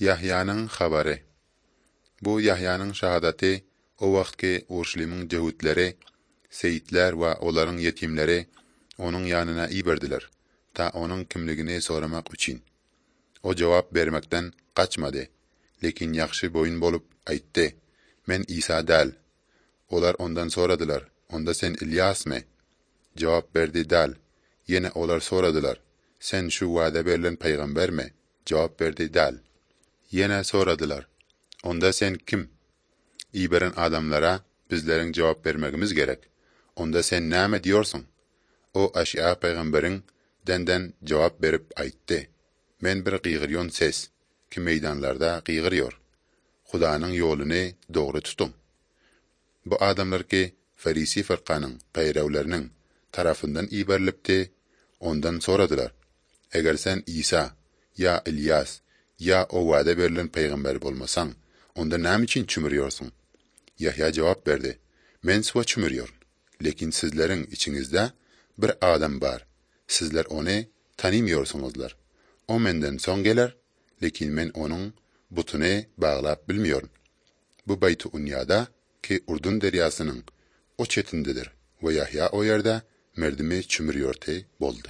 Yahya'nın xabarı. Bu Yahya'nın şahadati o vaxtki Urşulimin cehutleri, seyitler ve onların yetimleri onun yanına iyi verdiler, ta onun kimligini soramak için. O cevap vermekten kaçmadı, lekin yaxşı boyun bolup aytdı, men İsa dal. Olar ondan soradılar, onda sen İlyas mı? Cevap verdi dal. Yine olar soradılar, sen şu vade verilen peygamber mi? Cevap verdi dal. Yine soradılar, onda sen kim? İyi veren adamlara bizlerin cevap vermemiz gerek. Onda sen ne diyorsun? O Aşiya peygamberin denden cevap verip ayttı. Men bir qiyğıryon ses ki meydanlarda qiyğırıyor. Hudanın yolunu doğru tutun. Bu adamlar ki Farisi fırqanın peyrevlerinin tarafından iyi verilipti, ondan soradılar. Eğer sen İsa ya İlyas ya o vade verilen peygamber olmasan, onda ne için çümürüyorsun? Yahya cevap verdi. Men suva çümürüyor. Lekin sizlerin içinizde bir adam var. Sizler onu tanımıyorsunuzlar. O menden son gelir, lekin men onun butunu bağlap bilmiyorum. Bu Bayt-ı Unya'da ki Urdun deryasının o çetindedir ve Yahya o yerde merdimi çümürüyordu boldu.